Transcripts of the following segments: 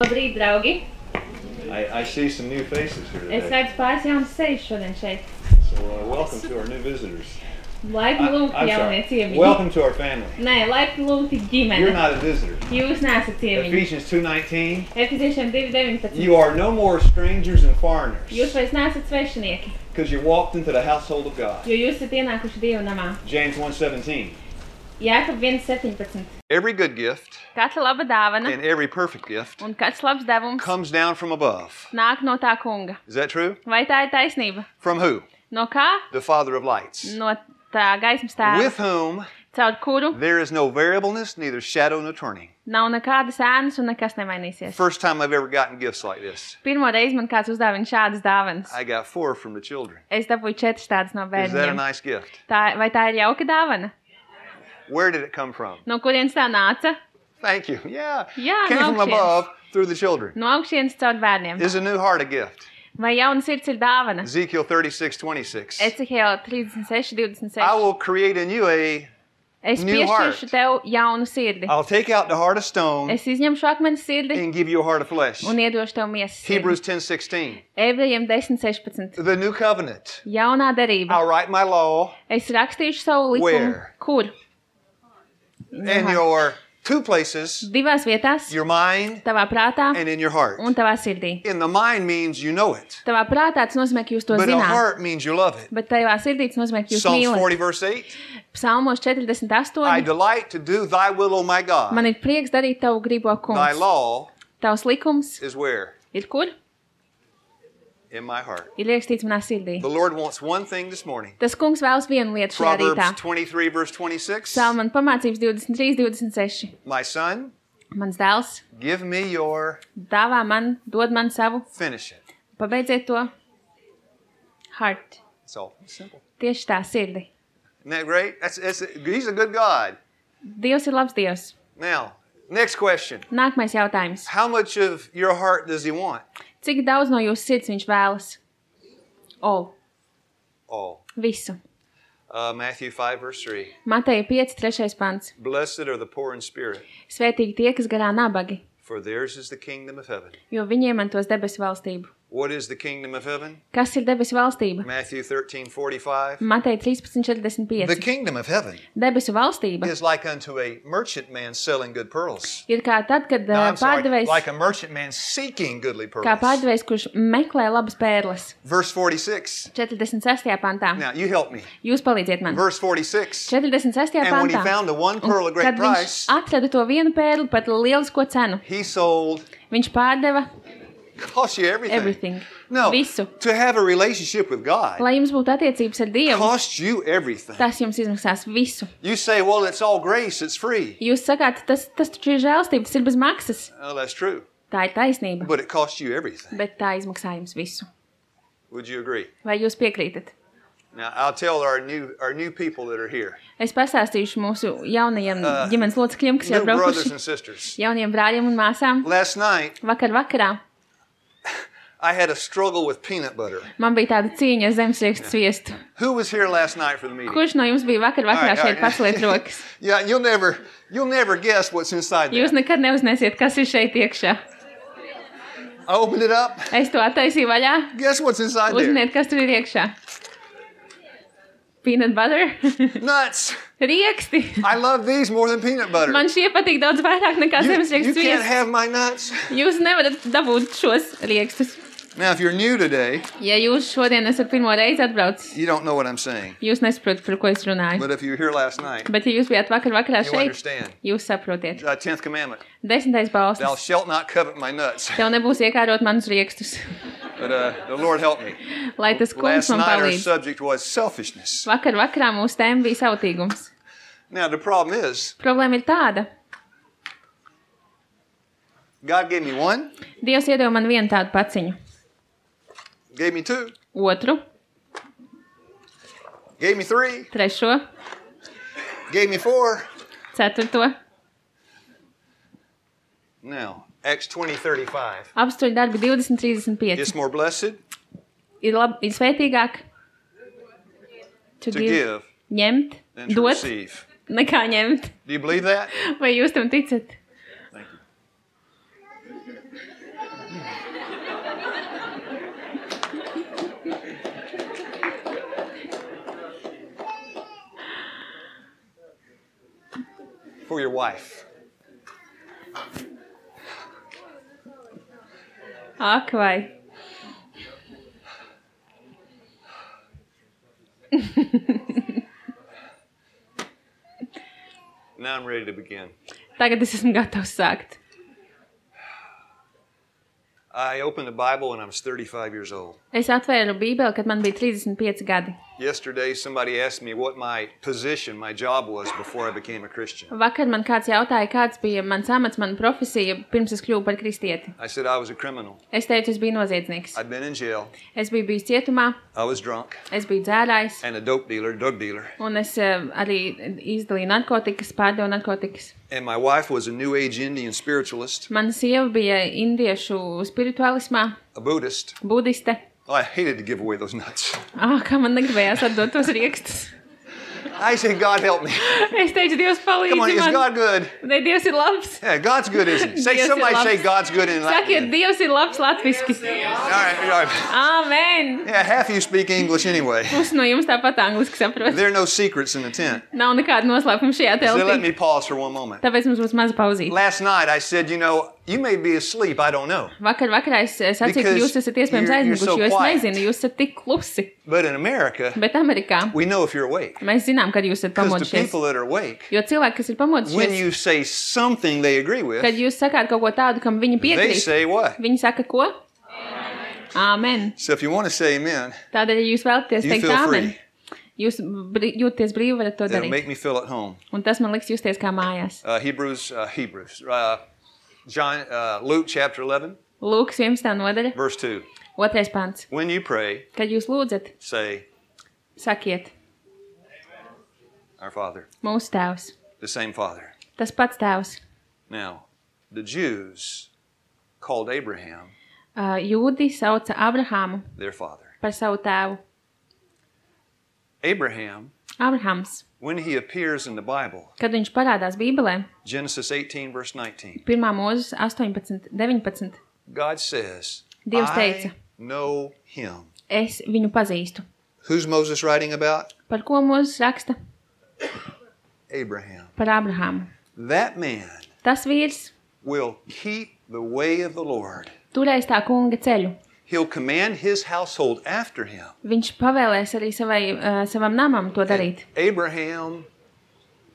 Labrīt, draugi! I see some new faces here Es today. redzu pāris jaunas sejas šodien šeit. So welcome to our new visitors. Laipni lūgti I'm jaunie sorry. ciemiņi. Welcome to our family. Nē, laipni lūgti You're ģimene. not a visitor. Jūs neesat ciemiņi. Ephesians 2:19. Efeziešiem 2:19. You are no more strangers and foreigners Jūs vairs neesat svešinieki, because you walked into the household of God. jo jūs esat ienākuši Dieva namā. James 1:17. Jēkab 1:17. Every good gift Katra laba dāvana and every perfect gift un katrs labs devums comes down from above. nāk no tā kunga. Is that true? Vai tā ir taisnība? From who? No kā? The Father of lights. No tā gaismas tēva, With whom caur kuru there is no variableness, neither shadow nor turning. nav nekādas ēnas un nekas nemainīsies. First time I've ever gotten gifts like this. Pirmo reizi man kāds uzdāvina šādas dāvanas. I got 4 from the children. Es dabūju 4 tādas no Is that a bērniem. nice gift? Vai tā ir jauka dāvana? Where did it come from? No kurienes tā nāca? Thank you. Yeah. Jā, Came no from augšienes. above through the children. No augšienes caur bērniem. Is a new heart a gift? Vai jauna sirds ir dāvana? Ezekiel 36:26. Ecehēla 36:26. I will create in you Es new heart. piešķiršu tev jaunu sirdi. I'll take out the heart of stone Es izņemšu akmeni sirdi and give you a heart of flesh. un iedošu tev miesas sirdi. Hebrews 10:16. Ebrejiem 10:16. The new covenant. Jaunā derība. I'll write my law Es rakstīšu savu likumu. Where? Kur? in your 2 places, Divās vietās. your mind Tavā prātā and in your heart. un tavā sirdī. In the mind means you know it, Tavā prātā tas nozīmē, ka jūs to but in the zināt. heart means you love it. Bet tavā sirdī tas nozīmē, ka jūs Psalms mīlat. 40 verse 8. Psalmos I 48. delight to do thy will, O my God. Man ir prieks darīt tavu gribo, Thy kungs. law Tavs likums is where? ir kur? In my heart. Ir ierakstīts manā sirdī. The Lord wants one thing this morning. Tas kungs vēlas vienu lietu šajā Proverbs rītā. 23 verse 26. Salmana pamācības 23:26. My son, Mans dēls give me your dāvā man, dod man savu, finish it. pabeidziet to. Heart. It's all simple. Tieši tā, sirdi. Isn't that great? He's a good God. Dievs ir labs Dievs. Now, next question. Nākamais jautājums. How much of your heart does he want? Cik daudz no jūsu sirds viņš vēlas? All. All. Visu. Matthew 5 verse 3. Mateja 5:3 pants. Blessed are the poor in spirit, Svētīgi tie, kas garā nabagi, for theirs is the kingdom of heaven. jo viņi iemantos debesu valstību. What is the kingdom of heaven? Kas ir debesu valstība? Matthew 13:45. Mateja The 13:45. kingdom of heaven Debesu valstība is like unto a merchant man selling good pearls. ir kā tad, kad No, I'm sorry, pārdevējs, like a merchant man seeking goodly kā pearls. pārdevējs, kurš meklē labas pērles. Verse 46. 46. pantā. Now, you help me. Jūs palīdziet man. Verse 46. 46. And when he pantā. found the one pearl of great Kad viņš price, atrada to vienu pērli par lielisko cenu, he sold, viņš pārdeva cost you everything. everything. No, Visu. to have a relationship with God Lai jums būtu attiecības ar Dievu, costs you everything. tas jums izmaksās visu. You say, well, it's all grace, it's free. Jūs sakāt, tas taču ir žēlstība, tas ir bez maksas. Well, that's true, Tā ir taisnība, but it costs you everything. bet tā izmaksā jums visu. Would you agree? Vai jūs piekrītat? Now, I'll tell our new people that are here, Es pastāstīšu mūsu jaunajiem ģimenes locekļiem, kas jau new brothers braukuši, and sisters. jauniem brāļiem un māsām. Last night, Vakarā I had a struggle with peanut butter. man bija tāda cīņa ar zemesriekstu sviestu. Who was here last night for the meeting? Kurš no jums bija vakarā All right, šeit all right. paceliet rokas? Yeah, you'll never guess what's inside Jūs there. nekad neuzņemsiet, kas ir šeit iekšā. I opened it up. Es to attaisīju vaļā. Guess what's inside there? Uzziniet, kas tur ir iekšā. Peanut butter. Nuts. Rieksti. I love these more than peanut butter. Man šie patīk daudz vairāk nekā You zemesriekstu can't sviests. have my nuts. Jūs nevarat dabūt šos riekstus. Now, if you're new today, Ja jūs šodien esat pirmo reizi atbraucis, you don't know what I'm saying. jūs nesaprotat, par ko es runāju. But if you were here last night, Bet, ja jūs bijāt vakarā you šeit, understand. jūs saprotiet. 10th commandment. 10. Thou bauslis. shalt not covet my nuts. Tev nebūs iekārot manus riekstus. But the Lord help me. Lai tas kungs Last man night our palīdz. subject was selfishness. Vakarā mūsu tēma bija sautīgums. Now, the problem is, Problēma ir tāda. God gave me one, Dievs iedeva man vienu tādu paciņu. gave me two, Otru, gave me three, trešo, gave me four. ceturto. Now, Acts 20:35. Apstuļu darbi 20:35. It's more blessed Ir svētīgāk to give ņemt, than to dot, receive. nekā ņemt. Do you believe that? Vai jūs tam ticat? Thank you. for your wife. Ak, vai. Now I'm ready to begin. Tagad es esmu gatavs sākt. I opened the Bible when I was 35 years old. Es atvēru Bībeli, kad man bija 35 gadi. Yesterday, somebody asked me what my position, my job was before I became a Christian. Vakar man kāds jautāja, kāds bija mans amats, mana profesija, pirms es kļuvu par kristieti. I said I was a criminal. Es teicu, es biju noziedznieks. I'd been in jail. Es biju bijis cietumā, I was drunk. es biju dzērājs, And a drug dealer. un es arī izdalīju narkotikas, pārdevu narkotikas. And my wife was a New Age Indian spiritualist, Mana sieva bija indiešu spiritualismā, a Buddhist. budiste. Oh, I hated to give away those nuts. Kā man negribējās atdot tos riekstus. I said, God help me. Es teicu, Dievs Come on, palīdzi is man. God good? Vai Dievs ir labs? Yeah, God's good, isn't he? Dievs ir Somebody labs. say God's good in Sakiet, Latin. Dievs ir labs latviski. All right. Āmen. Yeah, half of you speak English anyway. Pusi no jums tāpat angliski saprot. There are no secrets in the tent. Nav nekāda noslēpuma šajā So let telpī. me pause for one moment. Tāpēc mums būs maza pauzīte. Last night I said, you may be asleep, I don't know. Vakarā es sacīju, ka jūs esat iespējams You're so aizmiguši, jo es quiet. nezinu, jūs esat tik klusi. But in America, Bet Amerikā we know if you're awake. mēs zinām, kad jūs esat Because the pamodušies. people that are awake, Jo cilvēki, kas ir when pamodušies, you say something they agree with, kad jūs sakāt kaut ko tādu, kam viņi they piekrīt, say what? viņi saka ko? Āmen. So if you want to say amen, Tādēļ, ja jūs vēlaties you teikt feel āmen, free. jūs jūties brīvi, varat to That'll darīt. make me feel at home. Un tas man liks justies kā mājās. Luke chapter 11, Lūks 11. nodaļa, verse 2. 2. pants. When you pray, Kad jūs lūdzat, say, sakiet, Our Father, mūsu tēvs, the same Father. tas pats tēvs. Now, the Jews called Abraham Jūdi sauca Abrahāmu their father. par savu tēvu. Abraham, Abrahams, when he appears in the Bible, kad viņš parādās Bībelē, Genesis 18, verse 19, 1. mūzes 18, 19, God says, Dievs I teica, know him. es viņu pazīstu. Who's Moses writing about? Par ko mūzes raksta? Abraham. Par Abrahāmu. That man Tas vīrs will keep the way of the Lord. turēs tā kunga ceļu. He'll command his household after him. Viņš pavēlēs arī savam namam to darīt. Abraham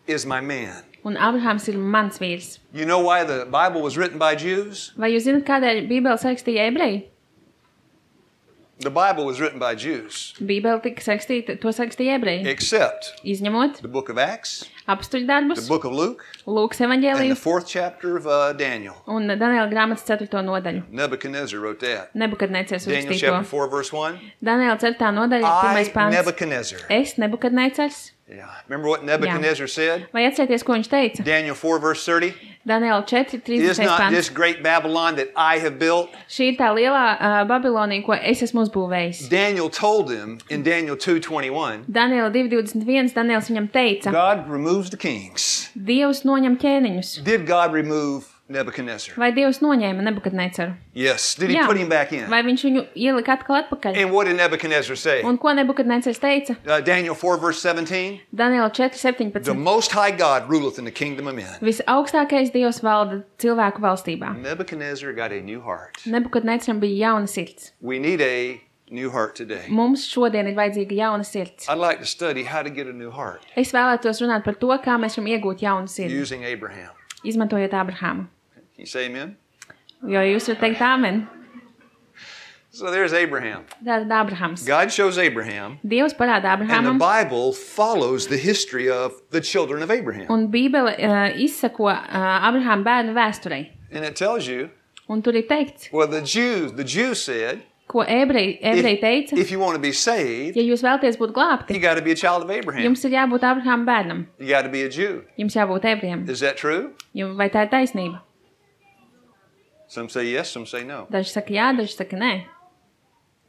is my man. Un Abrahams ir mans vīrs. You know why the Bible was written by Jews? Vai jūs zināt, kādēļ Bībele sarakstīja ebreji? The Bible was written by Jews, Bībele tika sarakstīta, to sarakstīja ebreji. except Izņemot the book of Acts, apstuļu the darbus, book of Luke, Lūkas and the evaņģēliju 4th chapter of Daniel. un Daniela grāmatas 4. nodaļu. Nebuchadnezzar wrote that. Nebukadnecers Daniel uzrakstīja chapter to. 4, verse 1. Daniela 4. nodaļa, 1. I, pants. Nebuchadnezzar. Es, Nebukadnecers. Yeah. Remember what Nebuchadnezzar said? Vai atcerieties, ko viņš teica? Daniel 4, verse 30. Daniela 4, Is 30. not pants. this great Babylon that I have built? Šī ir tā lielā Babilonija, ko es esmu uzbūvējis. Daniel told him in Daniel 2:21, Daniela 2.21, Daniels viņam teica, God removes the kings. Dievs noņem ķēniņus. Did God remove Nebuchadnezzar? Vai Dievs noņēma Nebukadneceru? Yes. Did he Jā. put him back in? Vai viņš viņu ielika atkal atpakaļ? And what did Nebuchadnezzar say? Un ko Nebukadnecers teica? Daniel 4, verse 17. Daniela The 4.17. Most High God ruleth in the kingdom of men. Visaugstākais Dievs valda cilvēku valstībā. Nebuchadnezzar got a new heart. Nebukadneceram bija jauna sirds. We need a new heart today. Mums šodien ir vajadzīga jauna sirds. I'd like to study how to get a new heart Es vēlētos runāt par to, kā mēs varam iegūt jaunu sirdi, using Abraham. izmantojot Abrahāmu. Can you say amen? Jo jūs varat teikt āmen. So there's Abraham. Tātad Abrahams. God shows Abraham, Dievs parāda and the Abrahamam, Bible follows the history of the children of Abraham. un Bībele izsako Abrahāma bērnu vēsturei. And it tells you, Un tur ir teikts, well, the Jews said, ko ebreji teica, if you want to be saved, ja jūs vēlaties būt you glābti, got to be a child of Abraham. jums ir jābūt Abrahāma bērnam, You got to be a Jew. jums jābūt ebrejam. Is that true? Vai tā ir taisnība? Some say yes, some say no. Daži saka jā, daži saka nē.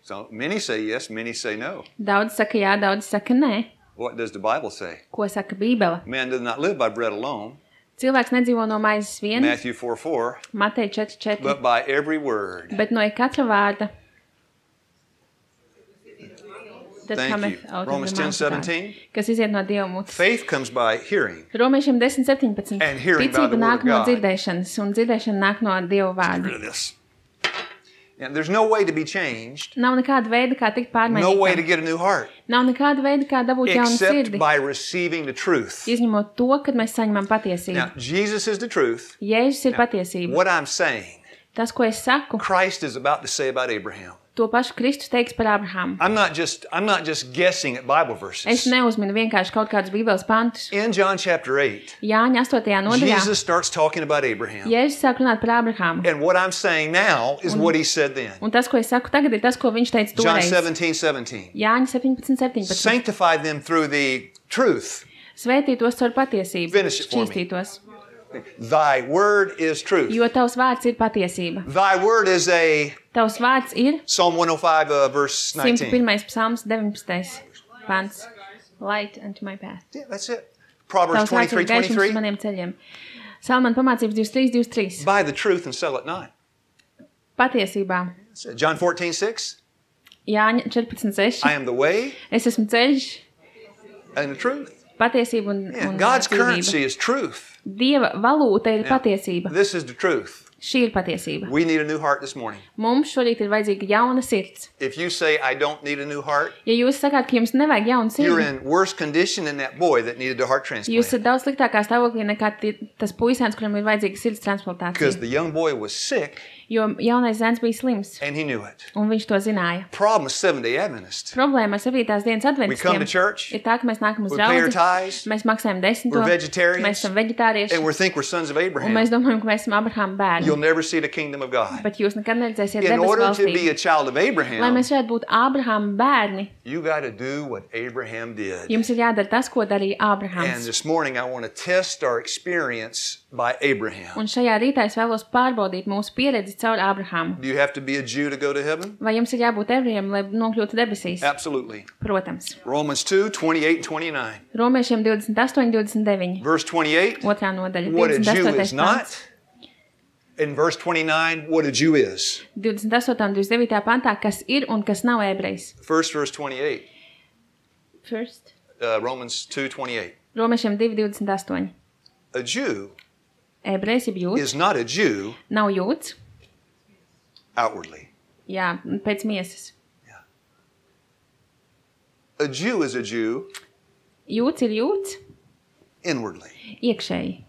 So many say yes, many say no. Daudz saka jā, daudz saka nē. What does the Bible say? Ko saka Bībele? Man does not live by bread alone. Cilvēks nedzīvo no maizes vien, Matthew 4:4, Mateja 4.4, but by every word bet no katra vārda, that Thank cometh you. out Romans of the mouth of God, 10:17. kas iziet no Dieva mutes. Faith comes by hearing. Romiešiem 10:17. And hearing by Ticība the word nāk of no God. dzirdēšanas, un dzirdēšana nāk no Dieva Get rid vārda. of this. And there's no way to be changed. Nav nekāda veida, kā tikt No way to pārmainītam. get a new heart. Nav nekāda veida, kā dabūt jaunu Except sirdi. by receiving the truth. Izņemot to, kad mēs saņemam patiesību. Now, Jesus is the truth. Jēzus ir patiesība. What I'm saying, Tas, ko es saku, Christ is about to say about Abraham. to pašu Kristus teiks par Abrahamu. I'm not just guessing at Bible Es verses. neuzminu vienkārši kaut kādus Bībeles pantus. In John chapter 8, Jāņa 8. nodaļā Jesus starts talking about Abraham. Jēzus sāk runāt par Abrahamu. And what I'm saying now is what he said then. Un tas, ko es saku tagad, ir tas, ko viņš teica John toreiz. 17:17. Jāņa 17:17. Sanctify them through the truth. Svētītos caur patiesību. Finish it for me. Šķīstītos. Thy word is truth. Jo tavs vārds ir patiesība. Thy word is a Tavs vārds ir Psalm 105 verse 19. 101. psalms 19. pants. Light unto my path. Yeah, that's it. Proverbs Tavs vārds ir gaišums uz 23:23. maniem ceļiem. Salmāna pamācības 23:23. Buy the truth and sell it not. Patiesībā. That's it. John 14:6. Jāņa 14:6. I am the way Es esmu ceļš, and the truth. patiesība un, Yeah, un God's dzīvība. currency is truth. Dieva valūta ir Yeah. patiesība. This is the truth. Šī ir patiesība. We need a new heart this morning. Mums šorīt ir vajadzīga jauna sirds. If you say, I don't need a new heart, Ja jūs sakāt, ka jums nevajag jaunu you're sirdi, in worse condition than that boy that needed a heart jūs transplant. esat daudz sliktākā stāvoklī nekā tas puisēns, kuram ir vajadzīga sirds Because transplantācija. the young boy was sick Jo jaunais zēns bija slims, and he knew it. un viņš to zināja. Problem is Seventh-day Adventist. Problēma ar 7. dienas We come to adventistiem church, ir tā, ka mēs nākam uz we pay our draudzi, tithes, mēs maksājam 10, we're vegetarians, mēs esam veģetārieši, and we think we're sons of un mēs Abraham. domājam, ka mēs esam Abrahama bērni. You'll never see the kingdom of God. Bet jūs nekad neredzēsiet In debesu order to be valstī. a child of Lai Abraham, mēs varētu būt Abrahama bērni, you got to do what Abraham did. jums ir jādara tas, ko darīja And Abrahams. this morning I want to test our experience by Abraham. Un šajā rītā es vēlos pārbaudīt mūsu pieredzi caur Abrahamu. Do you have to be a Jew to go to heaven? Vai jums ir jābūt ebrejiem, lai nokļūtu debesīs? Absolutely. Protams. Romans 2:28 and 29. Romiešiem 28, 29. Verse 28, Otrā nodaļa. what a Jew 28. is pants. not. In verse 29, what a Jew is. 28. un 29. pantā, kas ir un kas nav ebrejs. First verse 28, First. Romans 2:28. Romiešiem 2, 28. A Jew Ebrejs, jeb jūds, is not a Jew nav jūds. outwardly. Jā, pēc miesas. A Jew is a Jew Jūds ir jūds inwardly. iekšēji.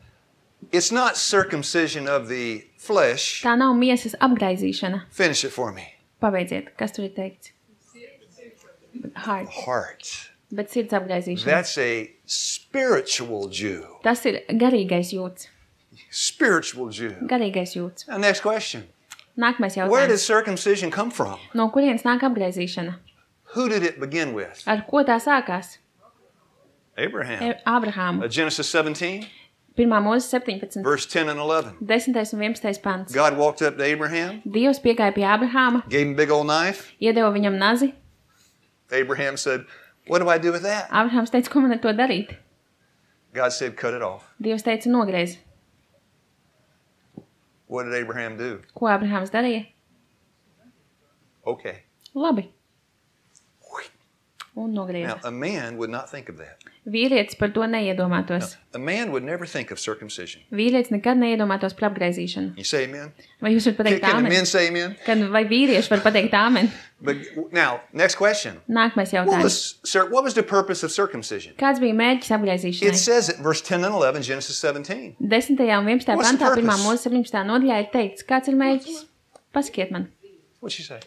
It's not circumcision of the flesh. Tā nav miesas apgraizīšana. Finish it for me. Pabeidziet, kas tur ir teikts? Heart. Heart. Bet sirds apgraizīšana. That's a spiritual Jew. Tas ir garīgais jūds. Spiritual Jew. Garīgais jūds. Now, next question. Nākamais Where did jautājums. circumcision come from? No kurienes nāk apgraizīšana? Who did it begin with? Ar ko tā sākās? Abraham. Abrahamu. Genesis 17, 1. mūzes 17. verse 10 and 11. 10. un 11. pants. God walked up to Abraham, Dievs piegāja pie Abrahama, gave him a big old knife. iedeva viņam nazi. Abraham said, what do I do with that? Abrahams teica, ko man ar to darīt? God said, cut it off. Dievs teica, nogriez. What did Abraham do? Ko Abrahams darīja? Okay. Labi. Un nogrieza. Now, a man would not think of that. Vīrietis par to neiedomātos. A man would never think of circumcision. Vīrietis nekad neiedomātos par apgraizīšanu. You say amen? Vai jūs varat pateikt Can the āmen? men say amen? Vai vīrieši var pateikt āmen? But now, next question. Nākamais What jautājums. what was the purpose of circumcision? Kāds bija mērķis It apgraizīšanai? says it, verse 10 and 11, Genesis 17. 10. un 11. What's the pantā, 1. purpose? mūzes 17. nodaļā ir teikts, kāds ir mērķis? Pasakiet man. What'd you say?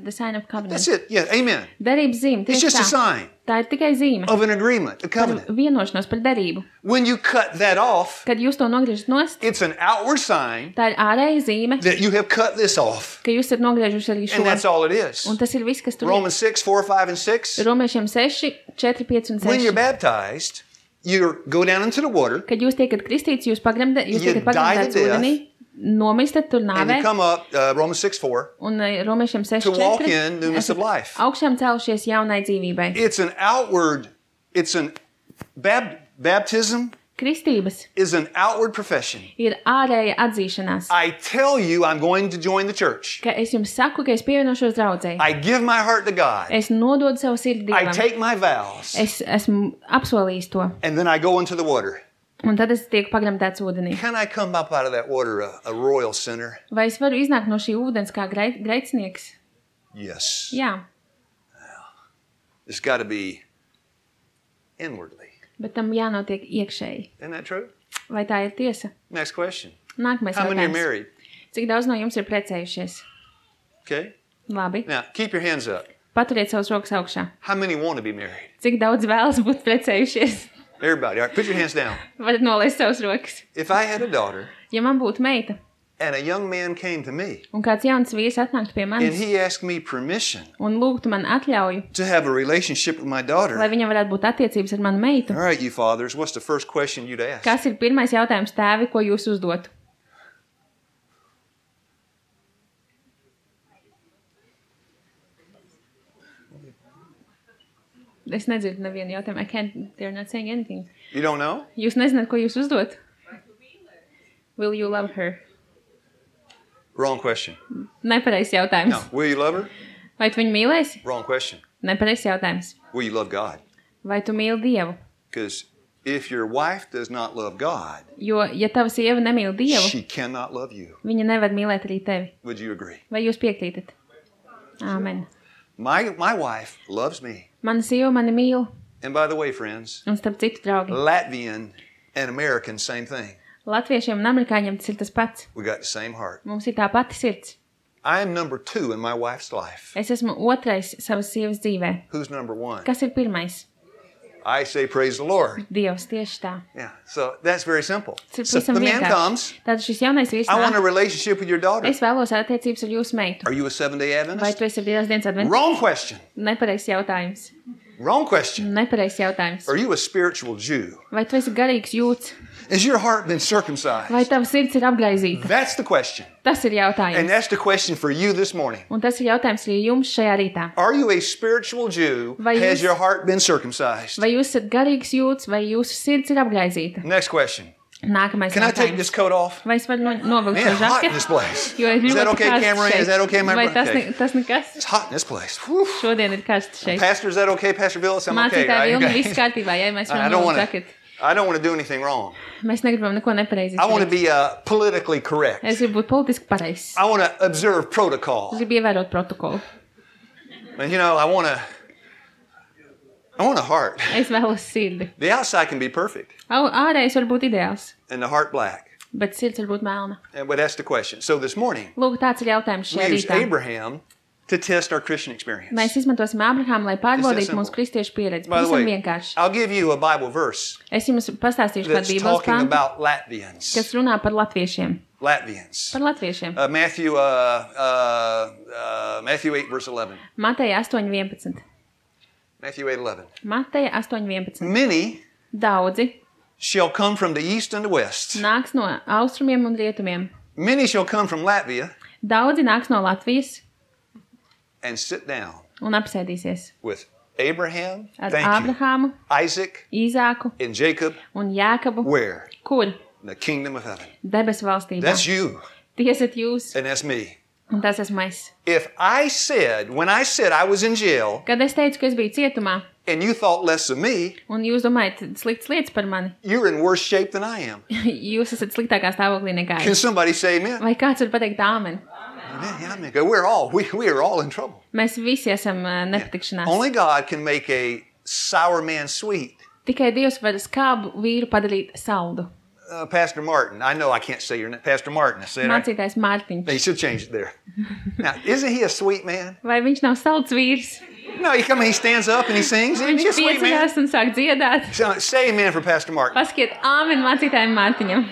The sign of covenant. That's it. Yeah, amen. Derības zīme. It's Tieši just a tā. sign Tā ir tikai zīme. of an agreement, a Par covenant. vienošanos par derību. When you cut that off, Kad jūs to nogriežat nost, it's an outward sign tā ir ārēja zīme, that you have cut this off. ka jūs esat nogriežuši arī And that's šo. all it is. Un tas ir viss, kas tur ir. Romans 6, 4, 5, and 6. Romiešiem 6, 4, 5 un When you're 6. baptized, you go down into the water Kad jūs tiekat kristīts, jūs You tiekat pagremdēts die to ūdenī, nomistat tur and nāvē, you come up, Romans 6, 4, un Romiešiem 6, to walk 4. in newness of life. Augšām celšies jaunai dzīvībai. It's an outward, it's an baptism Kristības is an outward profession. ir ārēja atzīšanās, I tell you I'm going to join the church. ka es jums saku, ka es pievienošos draudzei. I give my heart to God. Es nododu savu sirdi I Dievam. take my vows. Es esmu apsolījis to. And then I go into the water. Un tad es tieku pagremdēts ūdenī. Can I come up out of that water a royal sinner? Vai es varu iznākt no šī ūdens kā grēcinieks? Yes. Jā, It's got to be inwardly. bet tam jānotiek iekšēji. Isn't that true? Vai tā ir tiesa? Next question. Nākamais How many are jautājums. married? Cik daudz no jums ir precējušies? Okay. Labi. Now, keep your hands up. Paturiet savus rokas augšā. How many want to be married? Cik daudz vēlas būt precējušies? Everybody. All right, put your hands down. Varat nolaist savus rokas. If I had a daughter Ja man būtu meita, and a young man came to me un kāds jauns vīrs atnāktu pie and manis he asked me permission un lūgtu man atļauju, to have a relationship with my lai daughter, viņam varētu būt attiecības ar manu meitu, all right, you fathers, what's the first question you'd ask? kas ir pirmais jautājums tēvi, ko jūs uzdotu? Es nedzirdu nevienu jautājumu. They're not saying anything. You don't know? Jūs nezināt, ko jūs uzdot? Will you love her? Wrong question. Nepareizs jautājums. No. Will you love her? Vai tu viņu mīlēsi? Wrong question. Nepareizs jautājums. Will you love God? Vai tu mīli Dievu? Because if your wife does not love God, Jo, ja tava sieva nemīl Dievu, she cannot love you. viņa nevar mīlēt arī tevi. Would you agree? Vai jūs piekrītat? Āmen. My wife loves me. Mana sieva mani mīl, And by the way, friends, un starp citu, draugi, Latvian and American, same thing. latviešiem un amerikāņiem tas ir tas pats. We got the same heart. Mums ir tā pati sirds. I am number 2 in my wife's life. Es esmu otrais savas sievas dzīvē. Who's number 1? Kas ir pirmais? I say praise the Lord. Dievs, tieši tā. Yeah, so that's very simple. Tas ir So pavisam the man vienkārši. comes, Tātad šis jaunais vīrs I want a nāk. relationship with your daughter. Es vēlos attiecības ar jūsu meitu. Are you a Seventh-day Vai Adventist? tu esi brīvās dienas advents? Wrong question. Nepareizs jautājums. Wrong question. Nepareizs jautājums. Are you a spiritual Jew? Vai tu esi garīgs jūts? Has your heart been circumcised? Vai tava sirds ir apgaizīta? That's the question. Tas ir And jautājums. that's the question for you this morning. Un tas ir jautājums arī jums šajā rītā. Are you a spiritual Jew? Vai Has jūs- your heart been circumcised? Vai jūs esat garīgs jūts, vai jūsu sirds ir apgaizīta? Next question. Nākamais Can I take jautājums. this coat off? Vai es varu novilkt Man, šo hot in this žaketi? place. Jo ir Is that ļoti okay, karsts Cameron? šeit. Is that okay, my Vai brother? tas, Okay. tas nekas? It's hot in this place. Whew. Šodien ir karsts šeit. Pastor, is that okay? Pastor Villis, I'm okay, Mācītāji right? Vilni, Okay. viss kārtībā, ja mēs I varam don't novilkt want žaketi. to. I don't want to do anything wrong. Mēs negribam neko nepareizi I want to izdarīt. be politically correct. Es gribu būt politiski pareizs. I want to observe Es protocol. gribu ievērot protokolu. And you know, I want a heart. Es vēlos sirdi. The outside can be perfect, Ārējais var būt ideāls, and the heart black. bet sirds var būt melna. But that's the question. So this morning, Lūk, tāds ir jautājums we šajā use rītā. Abraham to test our Christian experience. Mēs izmantosim Ābrahāmu, lai pārbaudītu simple. mūsu kristiešu pieredzi. By the Pavisam way, vienkārši. I'll give you a Bible verse Es jums pastāstīšu kādu that's bībeles talking pantu, about Latvians. kas runā par latviešiem. Latvians. Par latviešiem. Matthew 8, verse 11. Mateja 8.11. Matthew 8:11. Mateja 8.11. Many Daudzi shall come from the east and the west. nāks no austrumiem un rietumiem. Many shall come from Latvia Daudzi nāks no Latvijas and sit down un apsēdīsies with Abraham, ar thank you, Ābrahāmu, Isaac, Īzāku and Jacob. un Jākabu. Where? Kur? In the kingdom of heaven. Debesu valstībā. That's you, Tie esat jūs, and that's me. un tas esmu es. If I said, when I said I was in jail, Kad es teicu, ka es biju cietumā, and you thought less of me, un jūs domājat sliktas lietas par mani, you're in worse shape than I am. jūs esat sliktākā stāvoklī nekā Can es. somebody say amen? Vai kāds var pateikt āmen? Amen. We are all in trouble. Mēs visi esam nepatikšanās. Only God can make a sour man sweet. Tikai Dievs var skābu vīru padarīt saldu. Pastor Martin, I know I can't say your name. Pastor Martin, I said right? Mācītājs Mārtiņš. They should change it there. Now, isn't he a sweet man? Vai viņš nav salds vīrs? No, he stands up and he sings. Isn't he a Viņš sweet man? pieceļās un sāk dziedāt. So, say amen for Pastor Martin. Paskiet āmen mācītājiem Mārtiņam.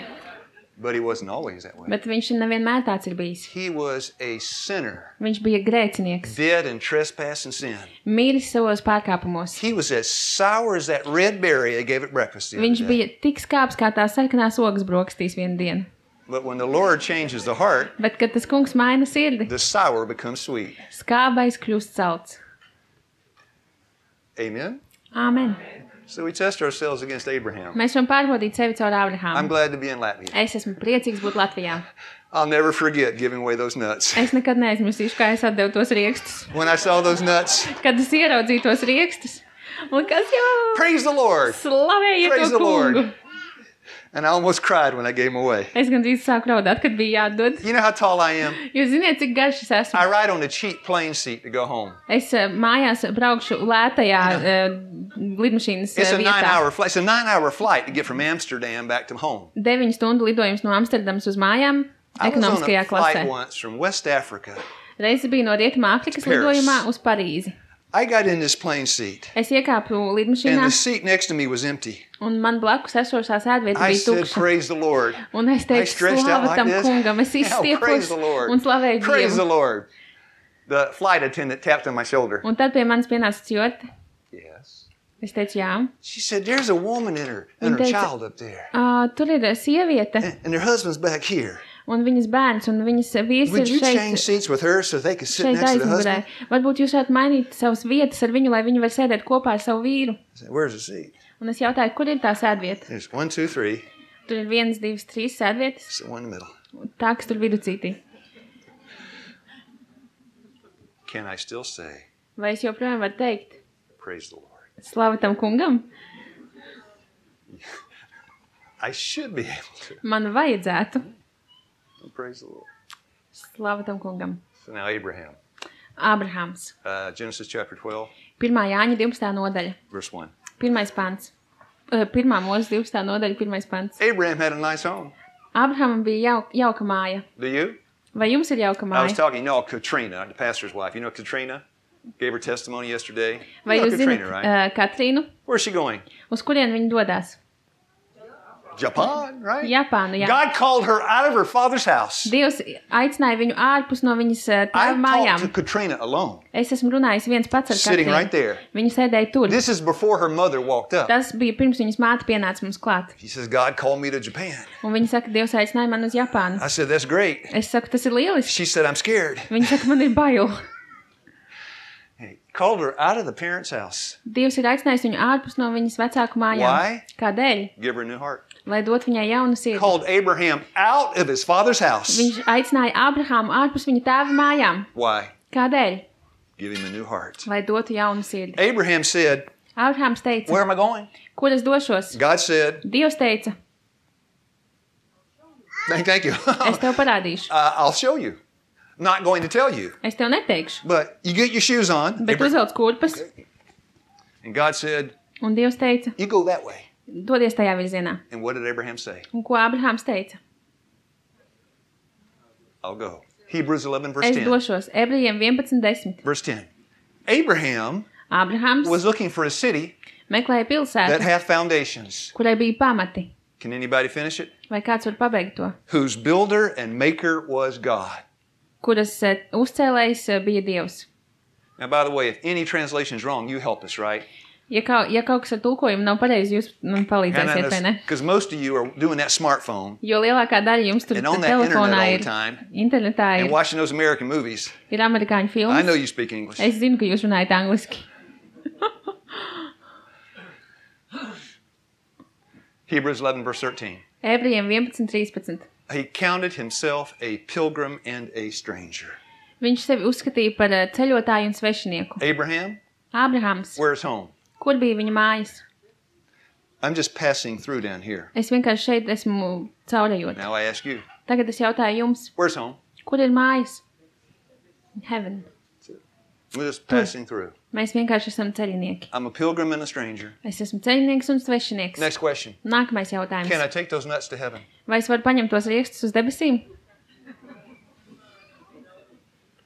But he wasn't always that way. Bet viņš nevienmēr tāds ir bijis. He was a sinner, Viņš bija grēcinieks. dead in trespass and sin. Mīlis savos pārkāpumos. He was as sour as that red berry they gave at breakfast the Viņš other day. bija tik skāps kā tās sarkanās ogas brokastīs vienu dienu. But when the Lord changes the heart, Bet, kad tas kungs maina sirdi, the sour becomes sweet. skābais kļūst salds. Amen? Āmen. So we test ourselves against Abraham. Mēs varam pārbaudīt sevi caur I'm Ābrahāmu. glad to be in Latvia. Es esmu priecīgs būt Latvijā. I'll never forget giving away those nuts. Es nekad neaizmirsīšu, kā es atdevu tos riekstus. When I saw those nuts, Kad es ieraudzīju tos riekstus. Un kas jau praise the Lord. slavēja Praise to the Lord. kungu. And I almost cried when I gave them away. Es gandrīz sāku raudāt, kad bija jādod. You know how tall I am? Jūs ziniet, cik garš es esmu. I ride on a cheap plane seat to go home. Es mājās braukšu lētajā lidmašīnas It's a vietā. 9-hour flight. It's a 9-hour flight to get from Amsterdam back to home. 9 stundu lidojums no Amsterdamas uz mājām I was on ekonomiskajā a flight klasē. once from West Africa. Reizi bija no Rietuma Āfrikas Paris. lidojumā uz Parīzi. I got in this plane seat, Es iekāpu and lidmašīnā, the seat next to me was empty. un man blakus esošā sēdvieta I bija said, tukša. praise the Lord. Un es I teicu, stretched out slava like tam this. kungam, es Oh, izstiepos praise the Lord. un slavēju Praise the Dievu. Lord. The flight attendant tapped on my shoulder. Un tad pie manis pienāca stjorte. Yes. Es teicu, jā. She said, there's a woman and her Viņa teica, child up there. Tur ir sieviete, And their husband's back here. un viņas bērns, un viņas vīrs Would ir you change šeit, seats with her so they could sit šeit next to the aizmugurē. husband? Varbūt jūs varētu mainīt savas vietas ar viņu, lai viņi var sēdēt kopā ar savu vīru. I said, where's the seat? Un es jautāju, kur ir tā sēdvieta? There's 1, 2, 3. Tur ir 1, 2, 3 sēdvietas, Sit one in the middle. tā, kas tur viducītī. Can I still say, Vai es joprojām varu teikt, praise the Lord? slava tam kungam? I should be able to. Man vajadzētu. Praise the Lord. Slava tam kungam. So now Abraham. Ābrahāms. Genesis chapter 12, 1. Jāņa 12. nodaļa. verse 1. 1. pants. 1. mūzes 12. nodaļa, 1. pants. Abraham had a nice home. Ābrahamam bija jauka māja. Do you? Vai jums ir jauka I was māja? talking, you know, Katrina, the pastor's wife. You know Katrina? Gave her testimony yesterday. Vai You know jūs Katrina, zināt right? Katrīnu? Where's she going? Uz kurien viņa dodās? Japan, right? Japānu, jā. God called her out of her father's house. Dievs aicināja viņu ārpus no viņas I tēva talked to mājām. Katrina alone, Es esmu runājis viens pats ar sitting right Katrīnu. there. Viņa sēdēja tur. This is before her mother walked up. Tas bija pirms viņas māte pienāca mums klāt. She says, God called me to Japan. Un viņa saka, Dievs aicināja man uz Japānu. I said, that's great. Es saku, tas ir lieliski. She said, I'm scared. Viņa saka, man ir bail. He called her out of the parents' house. Dievs ir aicinājis viņu ārpus no viņas vecāku mājām. Why? Kādēļ? Give her a new heart. Lai dot viņai jaunu sirdi. Called Abraham out of his father's house. Viņš aicināja Ābrahāmu ārpus viņa tēva mājām. Why? Kādēļ? Give him a new heart. Lai dotu jaunu sirdi. Abraham said, Ābrahāms teica, where am I going? kur es došos? God said, Dievs teica, thank you. es tev parādīšu. I'll show you. Not going to tell you. Es tev neteikšu. But you get your shoes on. Bet uzvelc kurpes. And God said, Un Dievs teica, you go that way. dodies tajā virzienā. And what did Abraham say? Un ko Ābrahāms teica? I'll go. Hebrews 11, verse Es 10. došos. Ebrejiem 11:10. Verse 10. Abraham Ābrahāms was looking for a city meklēja that pilsētu, had foundations. kurai bija pamati. Can anybody finish it? Vai kāds var pabeigt to? Whose builder and maker was God. Kuras uzcēlējs bija Dievs. Now, by the way, if any translation is wrong, you help us, right? Ja kaut kas ar tulkojumu nav pareizi, jūs man palīdzēsiet, vai ne? Because most of you are doing that smartphone Jo lielākā daļa jums tur and on that telefonā internet all ir, the time internetā and ir, watching those American movies. ir amerikāņu I know filmas. you speak English. Es zinu, ka jūs runājat angliski. Hebrews 11, verse 13. Ebrejiem 11:13. He counted himself a pilgrim and a stranger. Viņš sevi uzskatīja par ceļotāju un svešinieku. Abraham, Ābrahāms, where's home? kur bija viņa mājas? I'm just passing through down here. Es vienkārši šeit esmu caurējot. Now I ask you, Tagad es jautāju jums, where's home? kur ir mājas? Heaven. We're just passing through. Mēs vienkārši esam ceļinieki. I'm a pilgrim and a stranger. Es esmu ceļinieks un svešinieks. Next question. Nākamais jautājums. Can I take those nuts to heaven? Vai es varu paņemt tos riekstus uz debesīm?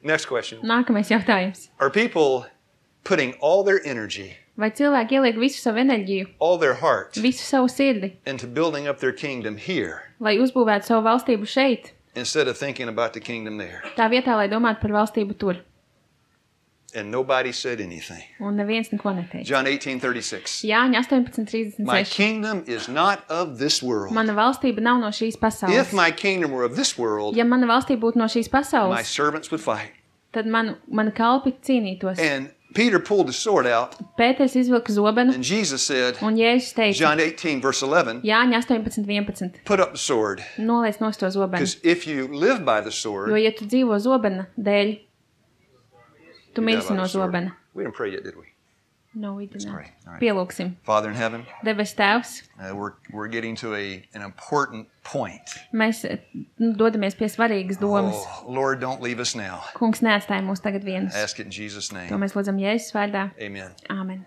Next question. Nākamais jautājums. Are people putting all their energy, Vai cilvēki ieliek visu savu enerģiju, all their heart visu savu sirdi, into building up their kingdom here lai uzbūvētu savu valstību šeit, instead of thinking about the kingdom there? tā vietā, lai domātu par valstību tur? And nobody said anything. Un neviens neko neteica. John 18:36. Jāņa My 18:36. kingdom is not of this world. Mana valstība nav no šīs If pasaules. my kingdom were of this world, Ja mana valstība būtu no šīs my pasaules, servants would fight. tad mani kalpi cīnītos. And Peter pulled the sword out, Pēters izvilka zobenu, and Jesus said, un Jēzus teica, John 18, verse 11, Jāņa 18:11, put up the sword. noliec nost to zobenu, Because if you live by the jo, sword, ja tu dzīvo zobena dēļ, tu you die mirsi by no the sword. zobena. We didn't pray yet, did we? No, we did not. pray. All right. Pielūksim. Father in heaven, Debes Tēvs, we're getting to an important point. mēs dodamies pie svarīgas domas. Oh, Lord, don't leave us now. Kungs neatstāja mūs tagad vienus. Ask it in Jesus' To name. mēs lūdzam Jēzus vārdā. Amen. Āmen.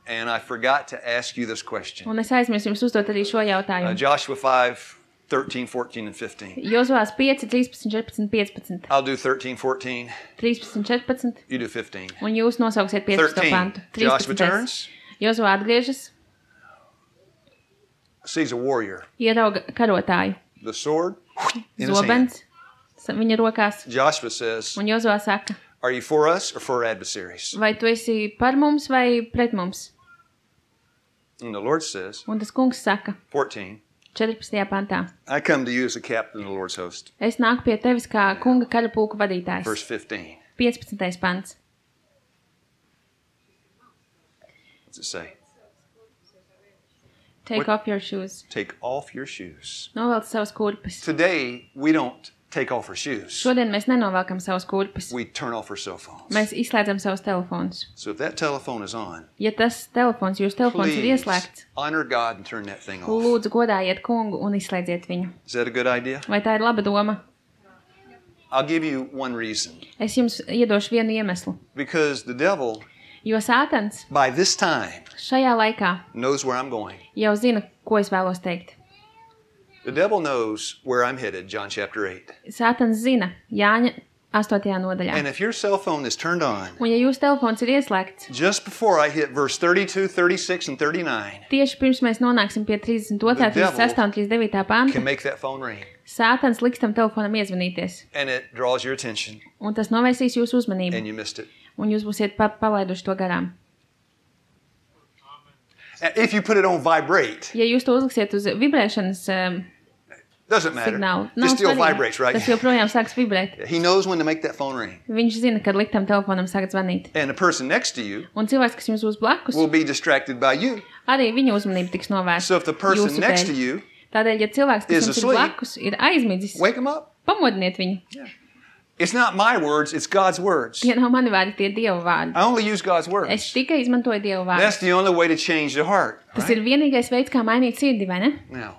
And I forgot to ask you this question. Un es aizmirsu jums uzdot arī šo jautājumu. Joshua 5, 13, 14, and 15. Jozuvās 5, 13, 14, 15. I'll do 13, 14. 13, 14. You do 15. Un jūs nosauksiet 15. 13. pantu. Joshua turns, Jozuvā atgriežas, sees a warrior. ierauga karotāju. The sword in his hand. Zobens viņa rokās. Joshua says, Un Jozuvā saka, are you for us or for our adversaries? vai tu esi par mums vai pret mums? And the Lord says, Un tas kungs saka, 14, 14. pantā, I come to you as a captain of the Lord's host. es nāku pie tevis kā kunga karapulka vadītājs. Verse 15. 15. pants. What's it say? Take off your shoes. Take off your shoes. Novelc savas kurpes. Today, we don't take off our shoes. Šodien mēs nenovelkam savas kurpes. We turn off our cell phones. Mēs izslēdzam savus telefonus. So if that telephone is on, Ja tas telefons, jūsu telefons ir please ieslēgts, honor God and turn that thing off. lūdzu godājiet kungu un izslēdziet viņu. Is that a good idea? Vai tā ir laba doma? I'll give you one reason. Es jums iedošu vienu iemeslu. Because the devil, Jo Sātans by this time, šajā laikā knows where I'm going. jau zina, ko es vēlos teikt. The devil knows where I'm headed, John chapter 8. Sātans zina Jāņa 8. nodaļā. And if your cell phone is turned on, Un ja jūsu telefons ir ieslēgts, just before I hit verse 32, 36, and 39, tieši pirms mēs nonāksim pie 32., The devil 36. un 39. panta, can make that phone ring. Sātans liks tam telefonam iezvanīties. And it draws your attention, Un tas novērsīs jūsu uzmanību. and you missed it. Un jūs būsiet palaiduši to garām. If you put it on vibrate, Ja jūs to uzliksiet uz vibrēšanas doesn't matter. signālu, It still vibrates, right? Tas joprojām sāks vibrēt. He knows when to make that phone ring. Viņš zina, kad likt tam telefonam sākt zvanīt. And the person next to you Un cilvēks, kas jums būs blakus, will be distracted by you. arī viņa uzmanība tiks novērsta. So if the person jūsu next dēļ. to you, Tādēļ, ja cilvēks, kas is jums ir asleep, blakus, ir aizmidzis, wake them up. pamodiniet viņu. It's not my words, it's God's words. Tie nav mani vārdi, tie Dieva vārdi. I only use God's Es words. tikai izmantoju Dieva That's vārdus. the only way to change the heart. Tas right? ir vienīgais veids, kā mainīt sirdi, vai ne? Now,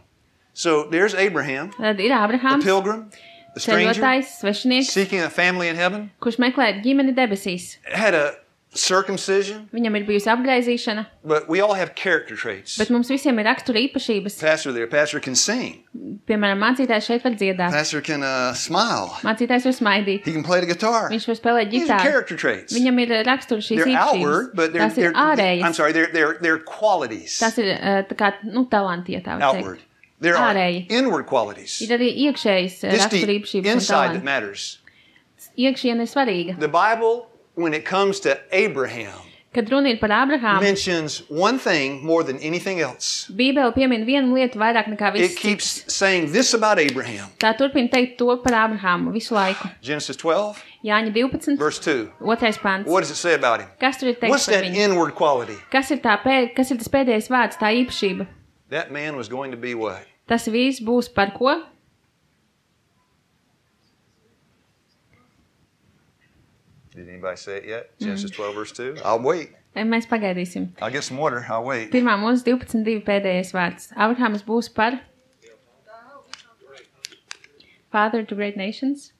so there's Abraham, Tad ir the Ābrahāms, pilgrim, the stranger, ceļotājs, svešinieks, seeking a family in heaven, kurš meklē ģimeni debesīs. had a circumcision, Viņam ir bijusi apgaizīšana, but we all have character traits. bet mums visiem ir rakstura īpašības. Pastor can sing. Piemēram, mācītājs šeit var dziedāt. Pastor can smile. Mācītājs var smaidīt. He can play the guitar. Viņš var spēlēt These are ģitāru. character traits. Viņam ir rakstura šīs They're outward, īpašības. but Tās ir I'm ārējas. sorry, they're qualities. Tas ir tā kā, talanti, ja tā var Outward. teikt. There are Ārēji. inward qualities. Ir arī iekšējas It's rakstura the īpašības un inside that talanti. matters. Iekšiena ir svarīga. The Bible, when it comes to Abraham, Kad runa ir par Ābrahāmu, mentions one thing more than anything else. Bībele piemin vienu lietu vairāk nekā It viss keeps cits. saying this about Abraham. Tā turpina teikt to par Ābrahāmu visu laiku. Genesis 12, Jāņa 12, verse 2. 2. pants. What does it say about him? Kas tur ir What's teikts par that viņu? inward quality? Kas ir tas pēdējais vārds, tā īpašība? That man was going to be what? Tas vīrs būs par ko? Did anybody say it yet? Genesis 12, verse 2. I'll wait. Mēs pagaidīsim. I'll get some water. I'll wait. Pirmā mūsu 12.2 pēdējais vārds. Abrahāms būs par Father to great nations.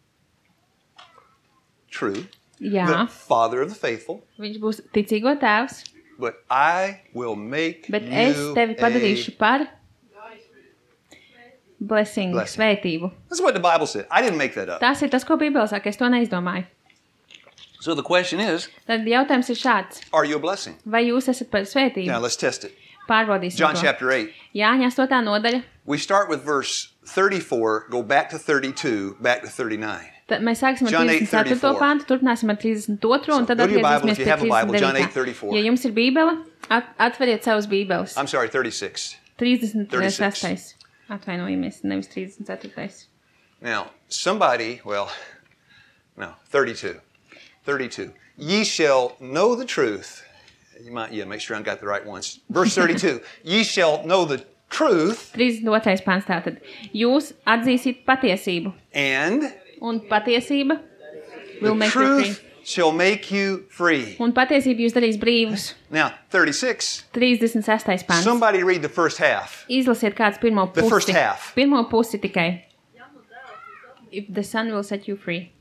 True. Jā, The father of the faithful. viņš būs ticīgo tēvs, But I will make bet es you tevi padarīšu par blessing, Blessing. svētību. That's what the Bible said. I didn't make that up. Tas ir tas, ko Bībele saka, es to neizdomāju. So the question is, Tad jautājums ir šāds. are you a blessing? Vai jūs esat par Now svētību? let's test it. Pārbaudīsim John to. chapter 8. Jāņa 8. nodaļa. We start with verse 34, go back to 32, back to 39. Tad mēs sāksim ar John 34. 8:34. pāntu, turpināsim ar 32. un tad go to your Bible atgriezīsimies if you pie have a Bible, John 39. 8:34. Ja jums ir Bībele, atveriet savus Bībeles. I'm sorry, 36. 36. Atvainojamies, nevis 34. Now, somebody, well, no, 32. 32. Ye shall know the truth. You might, make sure I got the right ones. Verse 32. Ye shall know the truth. 32. pants tātad. Jūs atzīsiet patiesību. Un patiesība will make you free. Shall make you free. Un patiesība jūs darīs brīvus. Now, 36. 36. pants. Somebody read the first half. Izlasiet kāds pirmo pusi. The first half. Pirmo pusi tikai. If the Son will set you free.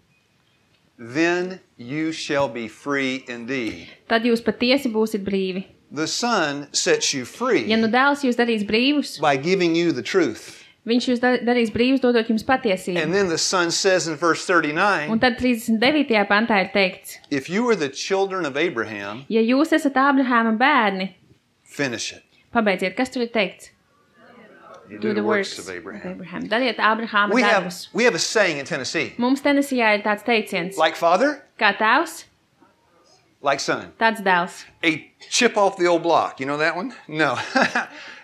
Then you shall be free indeed. Tad jūs patiesi būsiet brīvi. The Son sets you free. Ja nu dēls jūs darīs brīvus, by giving you the truth. Viņš jūs darīs brīvus, dodot jums patiesību. And then the Son says in verse 39. Un tad 39. pantā ir teikts. If you are the children of Abraham. Ja jūs esat Ābrahāma bērni. Finish it. Pabeidziet, kas tur ir teikts? Do the works of Abraham. Dariet Ābrahāma darbus. We have a saying in Tennessee. Mums Tenesijā ir tāds teiciens. Like father. Kā tēvs. Like son. Tāds dēls. A chip off the old block. You know that one? No.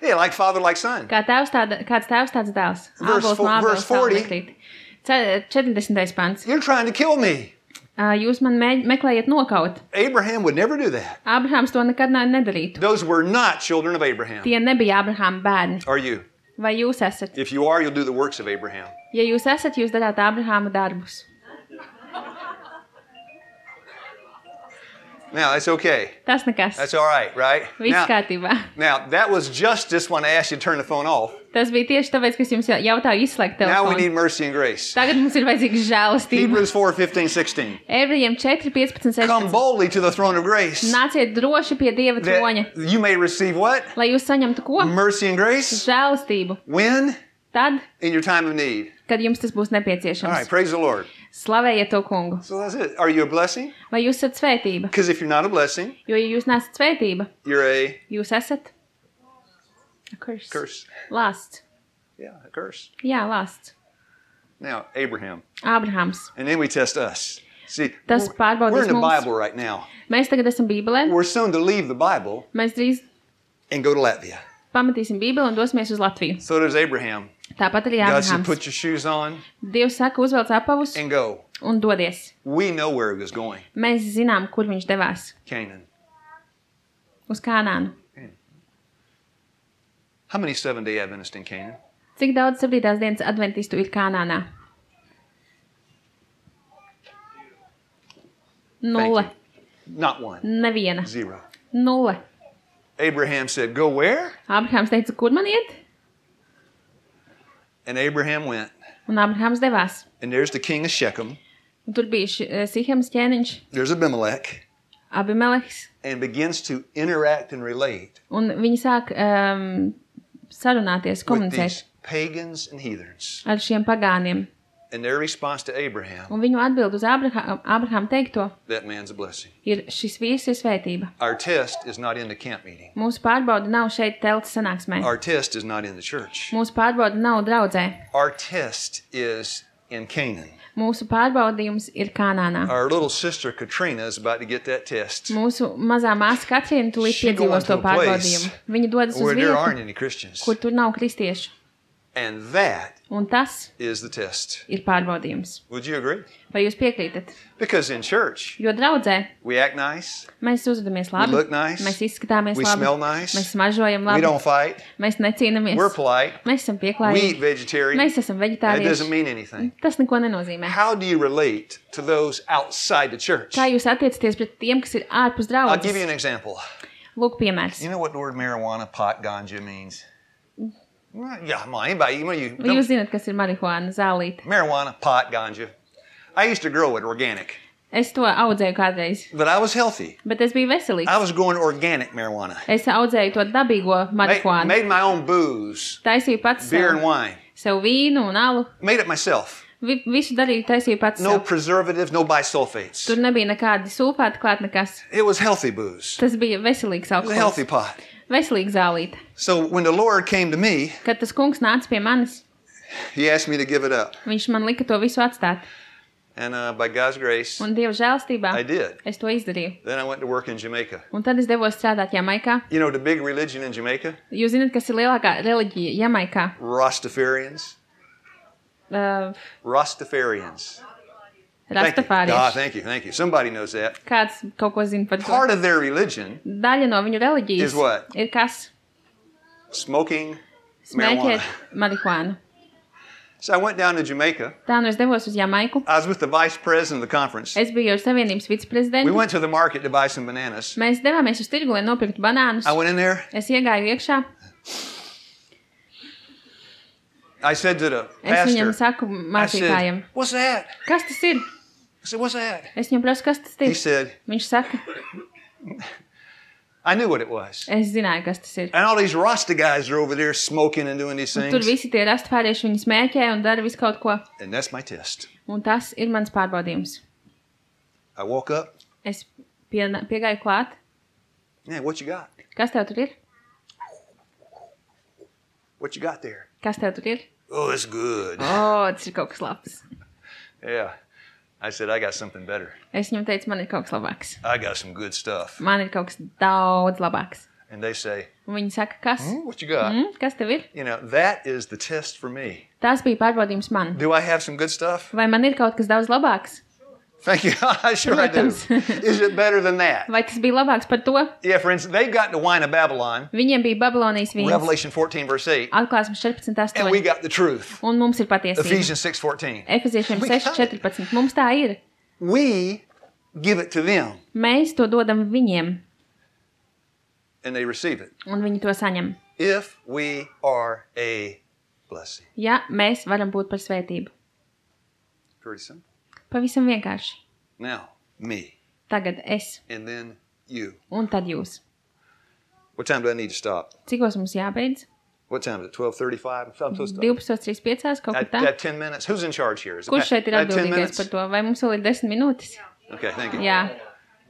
Yeah, like father, like son. Kāds tēvs, tāds dēls. Verse 40. 40. pants. You're trying to kill me. Jūs man meklējat nokaut. Abraham would never do that. Ābrahāms to nekad nedarītu. Those were not children of Abraham. Tie nebija Ābrahāma bērni. Are you? Vai jūs esat? If you are, you'll do the works of Abraham. Ja jūs esat, jūs darāt Ābrahāma darbus. Now, that's okay. Tas nekas. That's all right, right? Viss kārtībā. Now, that was justice when I asked you to turn the phone off. Tas bija tieši tāpēc, ka es jums jautāju izslēgt telefonu. Now we need mercy and grace. Tagad mums ir vajadzīga žēlastība. Hebrews 4:15-16. Ebrejiem 4:15-16. Come boldly to the throne of grace. Nāciet droši pie Dieva troņa. You may receive what? Lai jūs saņemtu ko? Mercy and grace. Žēlastību. When? Tad, in your time of need. Kad jums tas būs nepieciešams. All right, praise the Lord. Slavējiet to kungu. So that's it. Are you a blessing? Vai jūs esat svētība? Because if you're not a blessing, jo ja jūs neesat svētība, jūs esat a curse. Curse. Lāsts. Yeah, a curse. Jā, lāsts. Now, Ābrahāms. And then we test us. See, tas we're in the Bible right now. Mēs tagad esam Bībelē. We're soon to leave the Bible. Mēs drīz and go to Latvia. Pametīsim Bībeli un dosimies uz Latviju. So does Abraham. Tāpat arī God Ābrahāms. said, put your shoes on. Dievs saka, uzvelc apavus and go. Un dodies. We know where he was going. Mēs zinām, kur viņš devās. Canaan. Uz Kanānu. How many Seventh-day Adventists in Canaan? Cik daudz 7. dienas adventistu ir Kanānā? 0. Not one. Neviena. 0. 0. Abraham said, go where? Ābrahāms teica, kur man iet? And Abraham went. Un Ābrahāms devās. And there's the king of Shechem. Un tur bija Sihems ķēniņš. There's Abimelech. Abimeleks. And begins to interact and relate. Un viņi sāk sarunāties, komunicēt. With these pagans and heathens. Ar šiem pagāniem. And their response to Abraham. Un viņu atbild uz Ābrahāma teikto. That man's a blessing. Ir šis vīrs ir svētība. Our test is not in the camp meeting. Mūsu pārbauda nav šeit telts sanāksmē. Our test is not in the church. Mūsu pārbauda nav draudzē. Our test is in Canaan. Mūsu pārbaudījums ir Kanānā. Our little sister Katrina is about to get that test. Mūsu mazā māsa Katrīna tūlīt piedzīvos to pārbaudījumu. Viņa dodas uz vietu, kur tur nav kristiešu. And that Un tas is the test. Ir pārbaudījums. Would you agree? Vai jūs piekrītat? Because in church, jo draudzē we act nice, mēs uzvedamies labi, we look nice, mēs izskatāmies we labi, smell nice, mēs smaržojam labi, we don't fight, mēs necīnamies, we're polite, mēs esam pieklājīgi, we eat vegetarian, mēs esam veģetārieši. That doesn't mean anything. Tas neko nenozīmē. How do you relate to those outside the church? Kā jūs attiecaties pret tiem, kas ir ārpus draudzes? I'll give you an example. Lūk piemērs. You know what the word marijuana, pot, ganja means? Yeah, come on, anybody. Jūs zināt, kas ir marihuāna, zālīte. Marijuana, pot, ganja. I used to grow it organic. Es to audzēju kādreiz. But I was healthy. Bet es biju veselīgs. I was growing organic marijuana. Es audzēju to dabīgo marihuānu. Made my own booze. Taisīju pats beer and wine. Sev vīnu un alu. Made it myself. Visu darīju, taisīju pats no preservatives, no bisulfates. Tur nebija nekādi sulfāti klāt nekas. It was healthy booze. Tas bija veselīgs alkohols. It was a healthy pot. Veselīga zālīte. So when the Lord came to me, kad tas kungs nāca pie manis, he asked me to give it up. Viņš man lika to visu atstāt. And by God's grace, un Dieva žēlstībā, I did. Es to izdarīju. Then I went to work in Jamaica. Un tad es devos strādāt Jamaikā. You know the big religion in Jamaica? Jūs zināt, kas ir lielākā reliģija Jamaikā? Rastafarians. Rastafarians. Rastafārieši. Thank you. Somebody knows that. Kāds kaut ko zina par to? Part of their religion Daļa no viņu reliģijas is what? ir kas? Smoking Smēķēt marijuana. marihuānu. So I went down to Jamaica. Tā nu es devos uz Jamaiku. I was with the vice president of the conference. Es biju ar Savienības We viceprezidentu. went to the market to buy some bananas. Mēs devāmies uz tirgu, lai nopirktu banānus. I went in there. Es iegāju iekšā. I said to the Es viņam pastor, saku I mācītājiem, said, what's that? kas tas ir? I said, what's that? Es viņam prasu, kas tas He ir. said, Viņš saka, I knew what it was. es zināju, kas tas ir. And all these Rasta guys are over there smoking and doing these Un tur things. visi tie rastafārieši viņi smēķē un dara visu kaut ko. And that's my test. Un tas ir mans pārbaudījums. I woke up. Es piegāju klāt. Yeah, what you got? Kas tev tur ir? What you got there? Kas tev tur ir? Oh, it's good. O, tas ir kaut kas labs. Yeah. I said, I got something better. Es viņam teicu, man ir kaut kas labāks. I got some good stuff. Man ir kaut kas daudz labāks. And they say, Un viņi saka, kas? what you got? Kas tev ir? You know, that is the test for me. Tas bija pārbaudījums man. Do I have some good stuff? Vai man ir kaut kas daudz labāks? Thank you. Sure I do. Protams. Is it better than that? Vai tas bija labāks par to? Yeah, for instance, they've got the wine of Babylon, Viņiem bija Babilonijas vīns. Revelation 14, verse 8, Atklāsmes 14.8. and we got the truth, Un mums ir patiesība. Ephesians 6:14. Efeziešiem We got it. 6.14. Mums tā ir. We give it to them, Mēs to dodam viņiem, and they receive it. un viņi to saņem. If we are a blessing. Ja mēs varam būt par svētību. Pretty simple. Pavisam vienkārši. Now, me, Tagad es, and then you. un tad jūs. What time do I need to stop? Cikos mums jābeidz? What time is it? 12:35? I'm supposed to 12.35. Kaut I kā tā. have 10 minutes. Who's in charge here? Is it Kurš šeit ir I have 10 atbildīgais minutes? par to? Vai mums vēl ir 10 minūtes? Okay, thank you. Jā.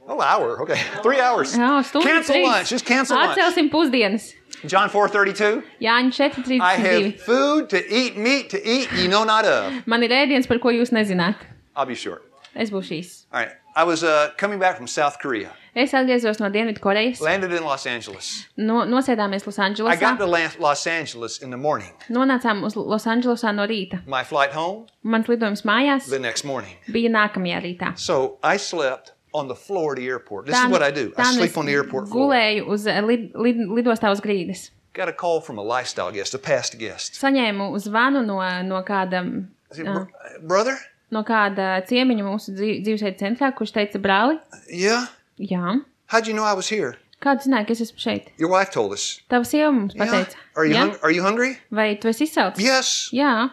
Oh, hour. Okay. 3 hours. Jā, stundu Cancel 3. lunch. Just cancel lunch. Atcelsim pusdienas. John 4:32. Jāņa I 4.32. have food to eat, meat to eat, you know not of. Man ir ēdiens, par ko jūs nezināt. I'll be short. Es būšu īs. All right. I was coming back from South Korea. Es atgriezos no Dienvidkorejas. Landed in Los Angeles. Nosēdāmies I got Losandželosā. to Los Angeles in the morning. Nonācām uz Losandželosā no rīta. My flight home Mans lidojums mājās the next morning. bija nākamajā rītā. So I slept on the floor of the airport. This is what I do. I sleep on the airport floor. Gulēju uz lidostā uz grīdas. Got a call from a lifestyle guest, a past guest. Saņēmu zvanu no kāda, I said, brother? no kāda ciemiņa mūsu dzīvesveida centrā, kurš teica, brāli, Yeah? jā, How'd you know I was here? kādu zināja, ka es esmu šeit? Your wife told us. Tava sieva mums Yeah? pateica. Are you, Jā? are you hungry? Vai tu esi izsaucis? Yes. Jā,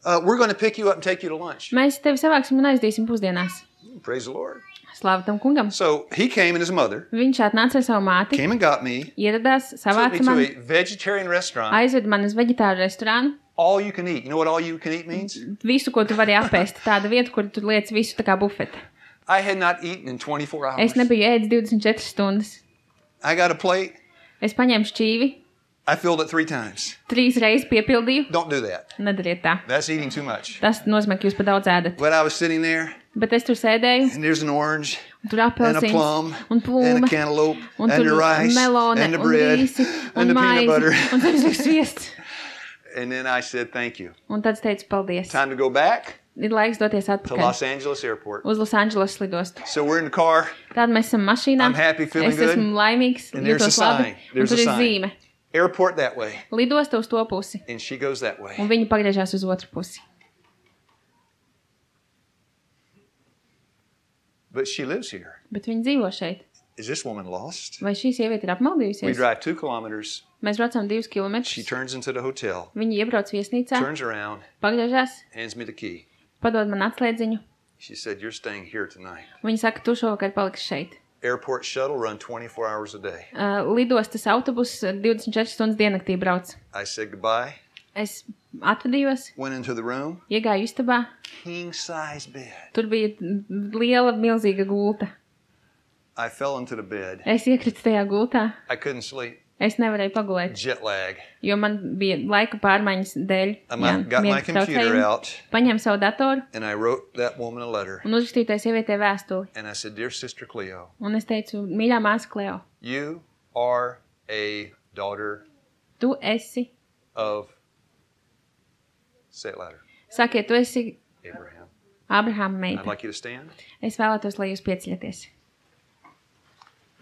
We're going to pick you up and take you to lunch. mēs tevi savāksim un aizdīsim pusdienās. Praise the Lord. Slāva tam kungam. So he came and his mother Viņš atnāca ar savu māti, came and got me, ieradās, took me savāca to mani, a vegetarian restaurant. aizved mani uz veģetāru restorānu. All you can eat. You know what all you can eat means? Visu, ko tu vari apēst. Tāda vieta, kur tu liec visu tā kā bufete. I had not eaten in 24 hours. Es nebiju ēdis 24 stundas. I got a plate. Es paņēmu šķīvi, I filled it 3 times. 3 reizes piepildīju. Don't do that. Nedariet tā. That's eating too much. Tas nozīmē, ka jūs pa daudz ēdat. But I was sitting there, Bet es tur sēdēju, and there's an orange, un tur and a apelsīns, plum, un and plūme, a cantaloupe, un and tur the rice, melone, and the un bread, rīsi, and un the peanut maizi, butter. un zemesliks sviests. And then I said, thank you. Un tad es teicu, paldies. Time to go back Ir laiks doties to atpakaļ Los Angeles airport. uz Losandželos lidostu. So we're in the car. Tad mēs esam mašīnā. I'm happy, feeling Es esmu good. laimīgs, And there's a jūtos labi. sign. Un There's tur a ir sign. zīme. Airport that way. Lidosta uz to pusi. And she goes that way. Un viņi pagriežās uz otru pusi. But she lives here. Bet viņi dzīvo šeit. Is this woman lost? Vai šī sieviete ir We apmaldījusies? drive 2 kilometers. Mēs braucam 2 She kilometrus. turns into the hotel, Viņi iebrauc viesnīcā, turns around, pagriežās, hands me the key. padod man atslēdziņu. She said, you're staying here tonight. Viņa saka, tu šovakar paliksi šeit. Airport shuttle run 24 hours a day. Lidostas autobus 24 stundas diennaktī brauc. I said goodbye, Es atvadījos, went into the room, iegāju istabā. king size bed. Tur bija liela, milzīga gulta. I fell into the bed. Es iekritu tajā gultā. I couldn't sleep. Es nevarēju pagulēt, Jet lag. jo man bija laika pārmaiņas dēļ. I got my computer out Paņēmu savu datoru and I wrote that woman a letter. un uzrakstīju tai sievietei vēstuli. And I said, dear sister Cleo, Un es teicu, mīļā māsa Kleo, you are a daughter tu esi, of, say it louder, sakiet, tu esi Abraham. Abrahama I'd meita. like you to stand. Es vēlētos, lai jūs pieceļaties.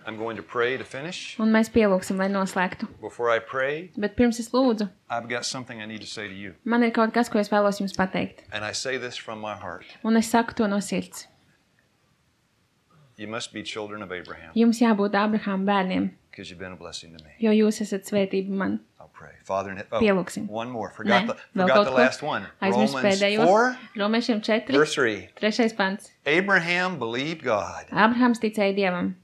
I'm going to pray to finish. Un mēs pielūksim, lai noslēgtu. Before I pray, Bet pirms es lūdzu, I've got something I need to say to you. man ir kaut kas, ko es vēlos jums pateikt. And I say this from my heart. Un es saku to no sirds. You must be children of Abraham Jums jābūt Abrahama bērniem, because you've been a blessing to me. jo jūs esat svētība man. I'll pray. Father in heaven. Pielūksim. One more. Nē, Forgot vēl the kaut ko. last one. Aizmirst Romans pēdējo. 4, Romiešiem 4, verse 3. 3. pants. Abraham believed God, Abrahams ticēja Dievam,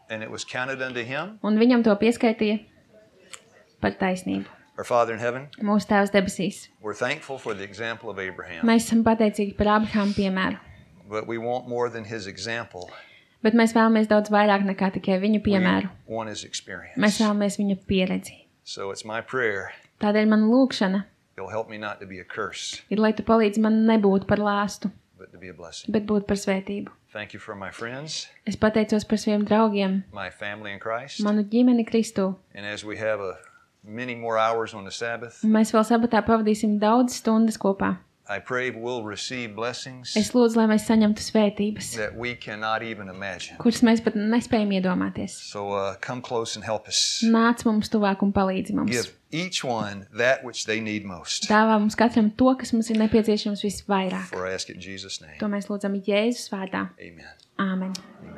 and it was counted unto him. un viņam to pieskaitīja par taisnību. Our Father in heaven, Mūsu Tēvs debesīs. we're thankful for the example of Abraham, Mēs esam pateicīgi par Abrahama piemēru, but we want more than his example. bet mēs vēlamies daudz vairāk nekā tikai viņu piemēru. We want his experience. Mēs vēlamies viņa pieredzi. So it's my prayer. Tādēļ mana lūkšana It'll help me not to be a curse, ir, lai tu palīdzi man nebūt par lāstu, but to be a blessing. bet būt par svētību. Thank you for my friends, Es pateicos par saviem draugiem, my family in Christ. manu ģimeni Kristū. And as we have many more hours on the Sabbath, Un mēs vēl sabatā pavadīsim daudz stundas kopā. I pray we'll receive blessings Es lūdzu, lai mēs saņemtu svētības, that we cannot even imagine. kuras mēs pat nespējam iedomāties. So come close and help us. Nāc mums tuvāk un palīdzi mums. Give each one that which they need most. Dāvā mums katram to, kas mums ir nepieciešams visvairāk. For I ask it in Jesus' name. To mēs lūdzam Jēzus vārdā. Amen. Āmen. Amen.